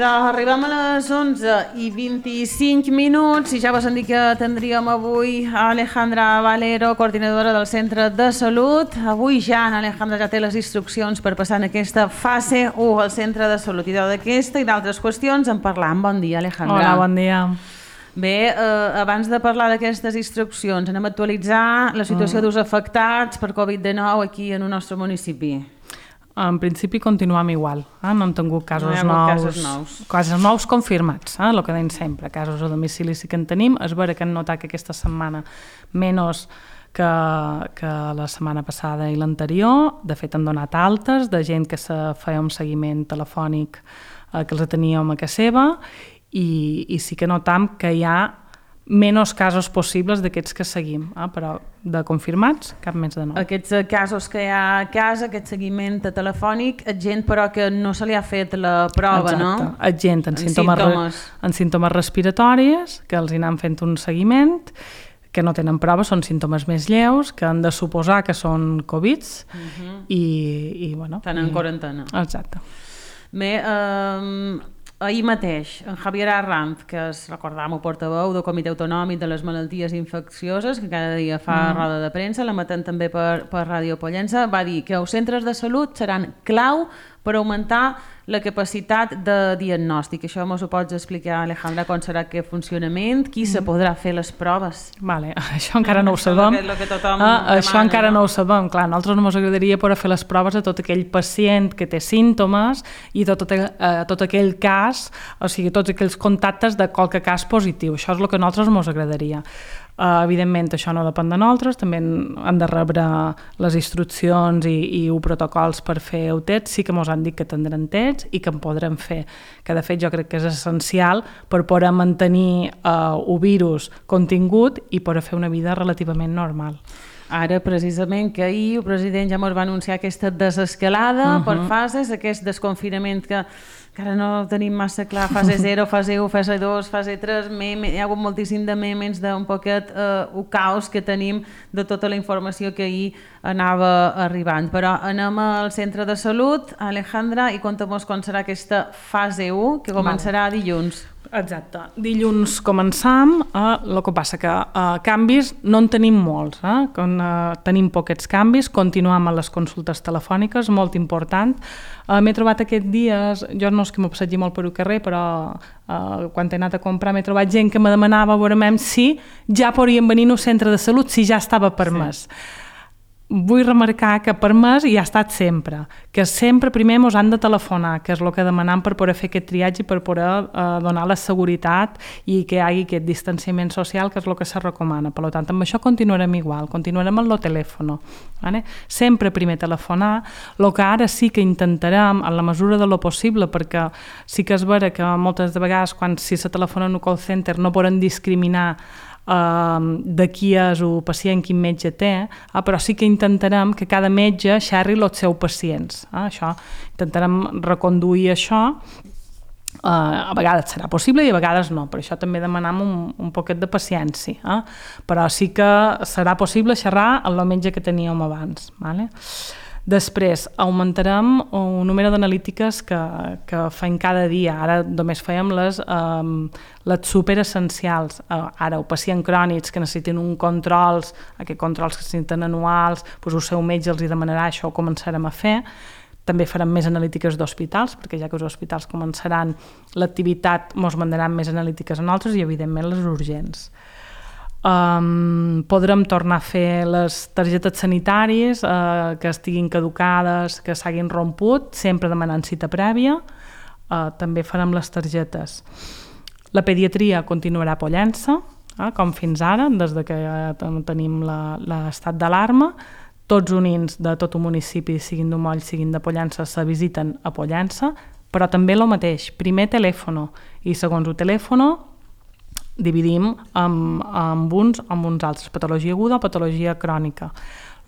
arribem a les 11:25 i ja vos han dit que tindríem avui a Alejandra Valero, coordinadora del Centre de Salut. Avui ja Alejandra ja té les instruccions per passar en aquesta fase 1 al Centre de Salut, i d'aquesta i d'altres qüestions en parlam. Bon dia, Alejandra. Hola, bon dia. Bé, abans de parlar d'aquestes instruccions, anem a actualitzar la situació dels afectats per Covid-19 aquí en el nostre municipi. En principi continuem igual, no hem tingut casos nous confirmats, el que deim sempre, casos a domicili sí que en tenim. És vera que hem notat que aquesta setmana menys que la setmana passada i l'anterior. De fet, han donat altes de gent que se feia un seguiment telefònic que els teníem a casa seva, i sí que notam que hi ha menys casos possibles d'aquests que seguim, però de confirmats, cap més de nou. Aquests casos que hi ha a casa, aquest seguiment telefònic, gent però que no se li ha fet la prova, no? Exacte, gent en símptomes respiratoris, que els hi anem fent un seguiment, que no tenen proves, són símptomes més lleus, que han de suposar que són Covids, i bueno... Estan en quarantena. Exacte. Bé, ahir mateix, en Javier Arranz, que és, recordam-ho, portaveu del Comitè Autonòmic de les Malalties Infeccioses, que cada dia fa roda de premsa, l'emetent també per Ràdio Pollença, va dir que els centres de salut seran clau per augmentar la capacitat de diagnòstic. Això ens ho pots explicar, Alejandra, com serà aquest funcionament? Qui se podrà fer les proves? Vale, això encara no ho sabem. Això encara no ho sabem. Clar, a nosaltres ens agradaria poder fer les proves a tot aquell pacient que té símptomes i tot aquell cas, o sigui, tots aquells contactes de qualque cas positiu. Això és el que a nosaltres ens agradaria. Evidentment això no depèn de nosaltres, també han de rebre les instruccions i protocols per fer el test. Sí que ens han dit que tindran test i que en podrem fer, que de fet jo crec que és essencial per poder mantenir el virus contingut i poder fer una vida relativament normal. Ara, precisament, que ahir el president ja ens va anunciar aquesta desescalada per fases, aquest desconfinament que encara no tenim massa clar, fase 0, fase 1, fase 2, fase 3, hi ha hagut moltíssim de memes d'un poquet el caos que tenim de tota la informació que ahir anava arribant. Però anem al centre de salut, Alejandra, i conta'm com serà aquesta fase 1, que començarà dilluns. Exacte. Dilluns començam, el que passa que canvis no en tenim molts, tenim poquets canvis, continuem a les consultes telefòniques, molt important. M'he trobat aquests dies, jo no és que m'ho passegi molt per el carrer, però quan he anat a comprar m'he trobat gent que me demanava si ja podrien venir al centre de salut, si ja estava permès. Vull remarcar que permès hi ha estat sempre, que sempre primer ens han de telefonar, que és el que demanem per poder fer aquest triatge i per poder donar la seguretat i que hi hagi aquest distanciament social, que és el que se recomana. Per tant, amb això continuarem igual, continuarem amb el telèfon. Sempre primer telefonar, el que ara sí que intentarem, en la mesura de lo possible, perquè sí que és vera que moltes de vegades, quan si se telefona en un call center, no poden discriminar de qui és el pacient, quin metge té, però sí que intentarem que cada metge xerri els seus pacients. Això, intentarem reconduir això. A vegades serà possible i a vegades no, per això també demanem un poquet de paciència, però sí que serà possible xerrar amb el metge que teníem abans. Després, augmentarem el número d'analítiques que fem cada dia. Ara només fèiem les superessencials. Ara, el pacient crònics que necessiten uns controls, aquests controls que necessiten anuals, el seu metge els demanarà, això ho començarem a fer. També farem més analítiques d'hospitals, perquè ja que els hospitals començaran l'activitat, ens mandaran més analítiques a nosaltres i, evidentment, les urgents. Podrem tornar a fer les targetes sanitàries que estiguin caducades, que s'hagin romput, sempre demanant cita prèvia. També farem les targetes. La pediatria continuarà a Pollença, com fins ara, des que tenim l'estat d'alarma. Tots units de tot el municipi, siguin d'Umoll, siguin de Pollença, se visiten a Pollença, però també el mateix, primer telèfon i segons el telèfon dividim amb uns altres, patologia aguda o patologia crònica.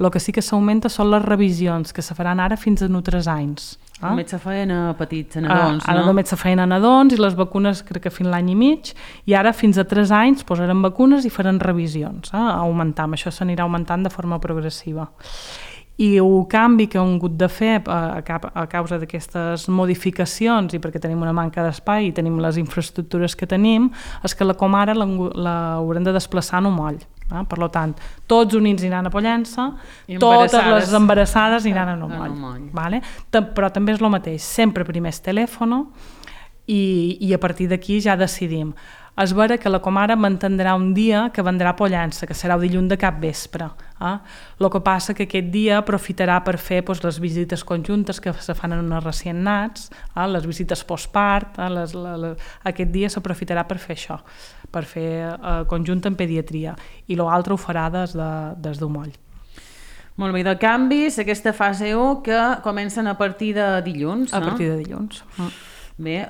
El que sí que s'augmenta són les revisions, que se faran ara fins a 3 anys. Només se feien a petits, a nadons, no? Ara només se feien a nadons i les vacunes crec que fins l'any i mig, i ara fins a 3 anys posaran vacunes i faran revisions. Això s'anirà augmentant de forma progressiva. I el canvi que hem hagut de fer a causa d'aquestes modificacions i perquè tenim una manca d'espai i tenim les infraestructures que tenim, és que la comara l'haurem de desplaçar en un moll. Per tant, tots units aniran a Pollença, totes les embarassades aniran en un moll. Vale? Però també és el mateix, sempre primer és telèfon i a partir d'aquí ja decidim. És vera que la comara mantindrà un dia que vendrà a Pollença, que serà el dilluns de capvespre. El que passa que aquest dia aprofitarà per fer les visites conjuntes que se fan en els recient nats, les visites postpart, aquest dia s'aprofitarà per fer això, per fer conjunt en pediatria, i l'altre ho farà des d'un moll. Molt bé, de canvis, aquesta fase 1 que comencen a partir de dilluns. A partir de dilluns. Bé,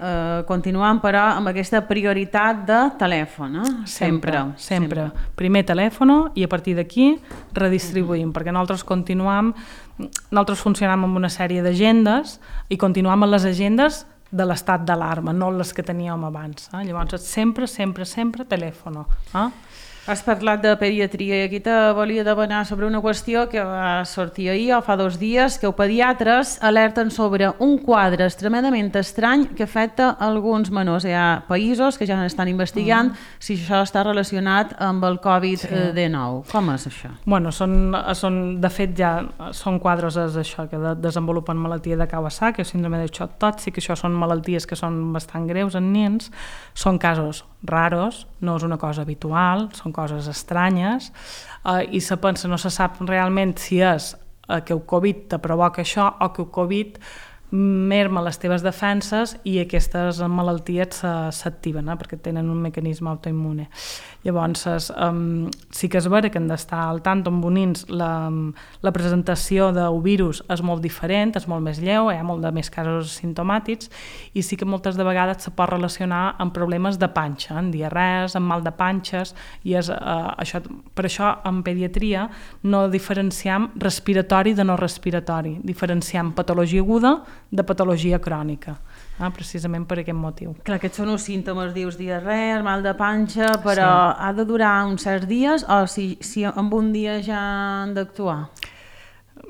continuant però amb aquesta prioritat de telèfon, Sempre. Primer telèfon i a partir d'aquí redistribuïm, perquè nosaltres funcionem amb una sèrie d'agendes i continuem amb les agendes de l'estat d'alarma, no les que teníem abans. Llavors, sempre telèfon. Has parlat de pediatria i aquí te volia demanar sobre una qüestió que va sortir ahir o fa 2 dies, que els pediatres alerten sobre un quadre extremadament estrany que afecta alguns menors. Hi ha països que ja estan investigant si això està relacionat amb el Covid-19. Com és això? Bueno, de fet ja són quadres això, que desenvolupen malaltia de Kawasaki, síndrome de xoc tòxic, això són malalties que són bastant greus en nens, són casos raros, no és una cosa habitual, són coses estranyes, i se pensa, no se sap realment si és que el Covid te provoca això o que el Covid merma les teves defenses i aquestes malalties s'activen, perquè tenen un mecanisme autoimmune. Llavors, sí que és vera que hem d'estar al tant amb bonins, la presentació del virus és molt diferent, és molt més lleu, hi ha molt de més casos simptomàtics i sí que moltes de vegades se pot relacionar amb problemes de panxa, amb diarrees, amb mal de panxes, i per això en pediatria no diferenciem respiratori de no respiratori, diferenciem patologia aguda de patologia crònica, precisament per aquest motiu. Clar, aquests són els símptomes, dius diarrea, mal de panxa, però ha de durar uns certs dies o si en un dia ja han d'actuar?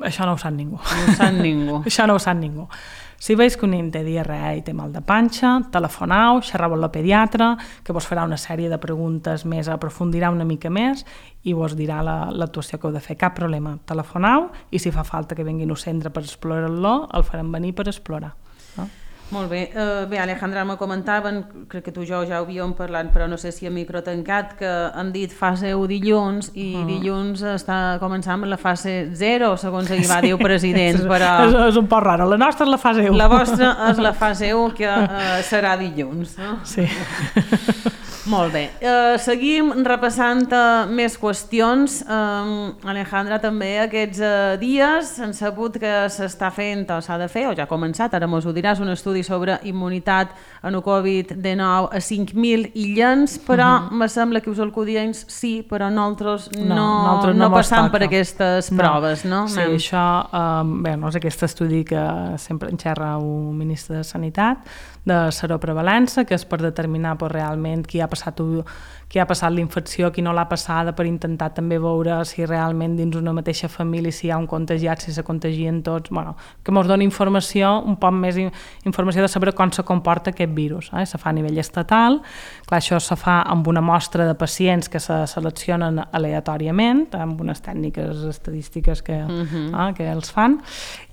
Això no ho sap ningú. No ho sap ningú. Això no ho sap ningú. Si veus que un nen té diarrea i té mal de panxa, telefoneu, xerreu amb la pediatra, que vos farà una sèrie de preguntes més, aprofundirà una mica més i vos dirà l'actuació que heu de fer. Cap problema, telefoneu i si fa falta que vinguin al centre per explorar-lo, el farem venir per explorar. Molt bé. Bé, Alejandra, me comentaven, crec que tu i jo ja ho havíem parlat, però no sé si a micro tancat, que han dit fase 1 dilluns i dilluns està començant amb la fase 0, segons ahir va dir el president. Però és un poc raro. La nostra és la fase 1. La vostra és la fase 1, que serà dilluns. No? Sí. Molt bé. Seguim repassant més qüestions. Alejandra, també aquests dies han sabut que s'està fent, o s'ha de fer, o ja ha començat, ara mos ho diràs, un estudi sobre immunitat en el Covid-19 a 5.000 illens, però me sembla que us el codiens sí, però nosaltres no passam per aquestes proves, no? Sí, això, és aquest estudi que sempre en xerra el ministre de Sanitat, de seroprevalença, que és per determinar realment qui ha passat la infecció, qui no l'ha passada, per intentar també veure si realment dins una mateixa família si hi ha un contagiat, si se contagien tots, que ens doni informació, un poc més informació de saber com se comporta aquest virus. Se fa a nivell estatal, clar, això se fa amb una mostra de pacients que se seleccionen aleatòriament, amb unes tècniques estadístiques que els fan,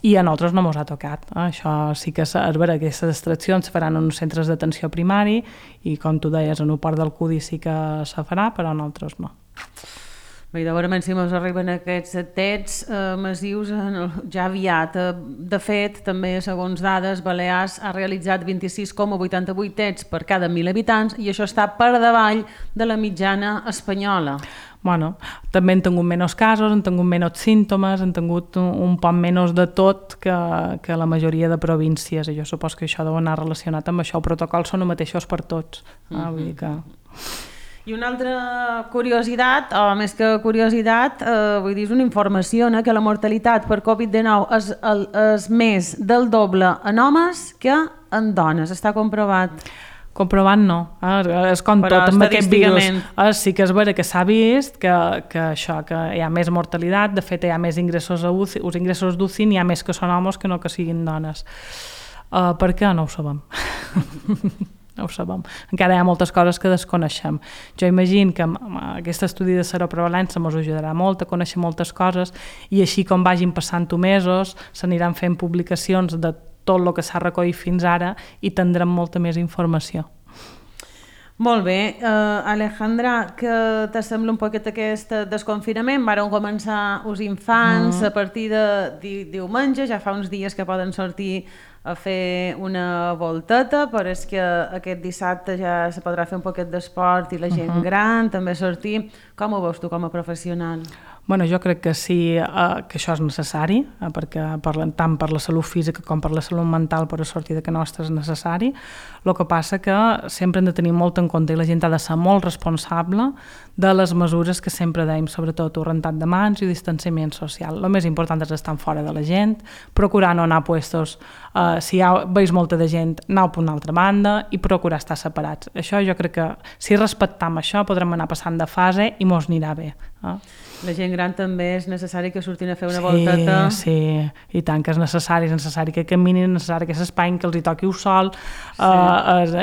i a nosaltres no ens ha tocat. Això sí que és vera, aquestes extraccions se faran en uns centres d'atenció primari i, com tu deies, en un port del CUDI sí que se farà, però nosaltres no. Bé, de veure si ens arriben aquests tests massius ja aviat. De fet, també, segons dades, Balears ha realitzat 26,88 tests per cada 1.000 habitants i això està per davall de la mitjana espanyola. També han tingut menys casos, han tingut menys símptomes, han tingut un poc menys de tot que la majoria de províncies, i jo suposo que això deu anar relacionat amb això. Els protocols són els mateixos per tots. Vull dir que... I una altra curiositat, o més que curiositat, vull dir, és una informació, que la mortalitat per Covid-19 és més del doble en homes que en dones. Està comprovat. Comprovant no, és com però tot amb aquest virus. estadísticament. Sí que és vera que s'ha vist que hi ha més mortalitat, de fet hi ha més ingressos a UCI, els ingressos d'UCI n'hi ha més que són homes que no que siguin dones. Per què? No ho sabem. No ho sabem. Encara hi ha moltes coses que desconeixem. Jo imagino que aquest estudi de seroprevalença ens ajudarà molt a conèixer moltes coses i així com vagin passant mesos s'aniran fent publicacions de tot el que s'ha recollit fins ara i tindrem molta més informació. Molt bé. Alejandra, què t'assembla un poquet aquest desconfinament? Varen començar els infants a partir de diumenge, ja fa uns dies que poden sortir a fer una volteta, però és que aquest dissabte ja se podrà fer un poquet d'esport i la gent gran també sortir. Com ho veus tu com a professional? Bueno, jo crec que sí que això és necessari, perquè tant per la salut física com per la salut mental per a sortir de que nostra és necessari. El que passa que sempre hem de tenir molt en compte i la gent ha de ser molt responsable de les mesures que sempre dèiem, sobretot rentat de mans i distanciament social. El més important és estar fora de la gent, procurar no anar a puestos, si veus molta de gent, anar per una altra banda i procurar estar separats. Això jo crec que si respectam això podrem anar passant de fase i mos anirà bé. La gent gran també és necessari que surtin a fer una volteta. Sí, i tant que és necessari que caminin, és necessari que s'espain, que els hi toqui el sol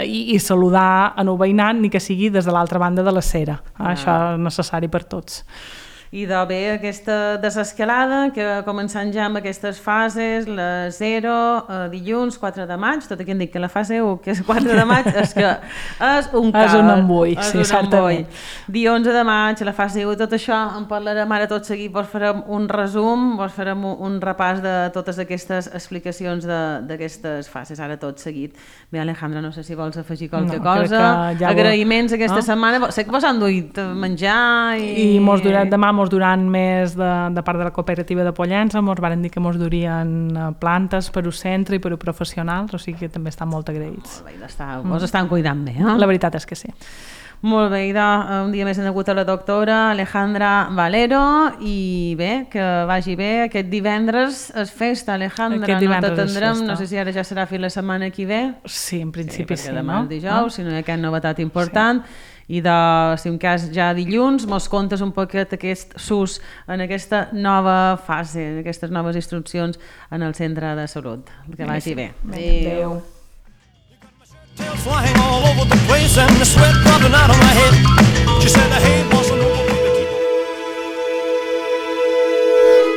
i saludar en el veïnat, ni que sigui des de l'altra banda de la cera. Això és necessari per tots. I de bé aquesta desescalada que començant ja amb aquestes fases, la 0, dilluns 4 de maig, tot aquí hem dit que la fase 1, que és 4 de maig, és que és un caos. És un embull, sí, certament. Dia 11 de maig, la fase 1, tot això en parlarem ara tot seguit, vos farem un resum, vos farem un repàs de totes aquestes explicacions d'aquestes fases, ara tot seguit. Bé, Alejandra, no sé si vols afegir qualque cosa. Agraïments aquesta setmana, sé que vos han duit menjar i mos demà mos duran més de part de la cooperativa de Pollença, mos van dir que mos durien plantes per al centre i per a professionals, o sigui que també estan molt agraïts. Molt bé, vos estan cuidant bé, La veritat és que sí. Molt bé, un dia més hem hagut a la doctora Alejandra Valero i bé, que vagi bé. Aquest divendres és festa, Alejandra, no t'atendrem, no sé si ara ja serà fins la setmana que ve. Sí, en principi sí, demà el dijous, si no hi ha cap novetat important. I si en cas ja dilluns mos contes un poquet aquest SUS en aquesta nova fase, en aquestes noves instruccions en el centre de salut. Que vagi bé. Adéu. Tail flying all over the place and the sweat dropping out of my head. She said, hey, bossa nova.